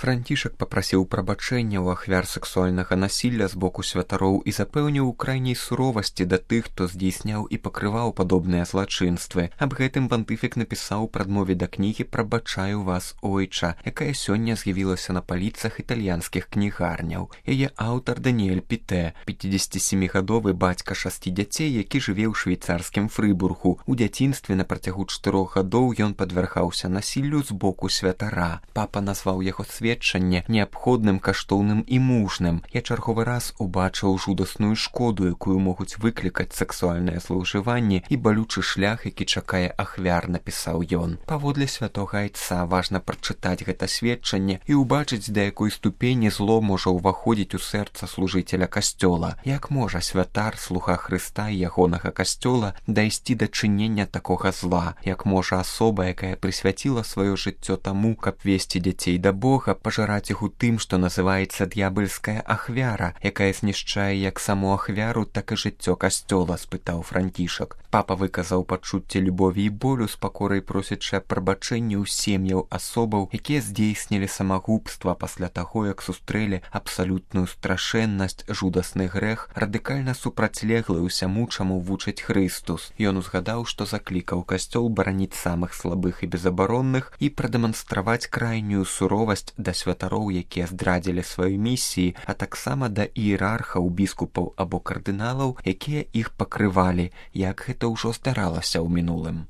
Францішак папрасіў прабачэння ў ахвяр сексуальнага насілля з боку святароў і запэўніў у крайняй суровасці да тых, хто здзейсняў і пакрываў падобныя злачынствы. Аб гэтым пантыфік напісаў у прадмове да кнігі «Прабачаю вас, ойча», якая сёння з'явілася на паліцах італьянскіх кнігарняў. Яе аўтар Даніэль Пітэ, 57-гадовы бацька 6 дзяцей, які жыве ў швейцарскім Фрыбургу. У дзяцінстве на працягу 4 гадоў ён падвяргаўся насіллю з боку святара. Папа назваў яго сведчанне неабходным, каштоўным і мужным. Я чарговы раз убачыў жудасную шкоду, якую могуць выклікаць сексуальнае злоўжыванне і балючы шлях, які чакае ахвяр, напісаў ён. Паводле святога айца важна прачытаць гэта сведчанне і ўбачыць, да якой ступені зло можа ўваходзіць у сэрца служыцеля касцёла. Як можа святар, слуга Хрыста і ягонага касцёла, дайсці да чынення такога зла? Як можа асоба, якая прысвяціла сваё жыццё таму, каб весці дзяцей да Бога, пажараць іх у тым, што называецца д'ябальская ахвяра, якая знішчае як саму ахвяру, так і жыццё касцёла, спытаў Францішак. Папа выказаў пачуцце любові і болю, з пакорай просячы прабачэння ў сем'яў асобаў, якія здзейснілі самагубства пасля таго, як сустрэлі абсалютную страшэннасць, жудасны грэх, радыкальна супрацьлеглы ўсяму, чаму вучыць Хрыстус. Ён узгадаў, што заклікаў касцёл бараніць самых слабых і безабаронных і прадэманстраваць крайнюю суровасць да святароў, якія здрадзілі сваёй місіі, а таксама да іерархаў, біскупаў або кардыналаў, якія іх пакрывалі, як гэта ўжо здаралася ў мінулым.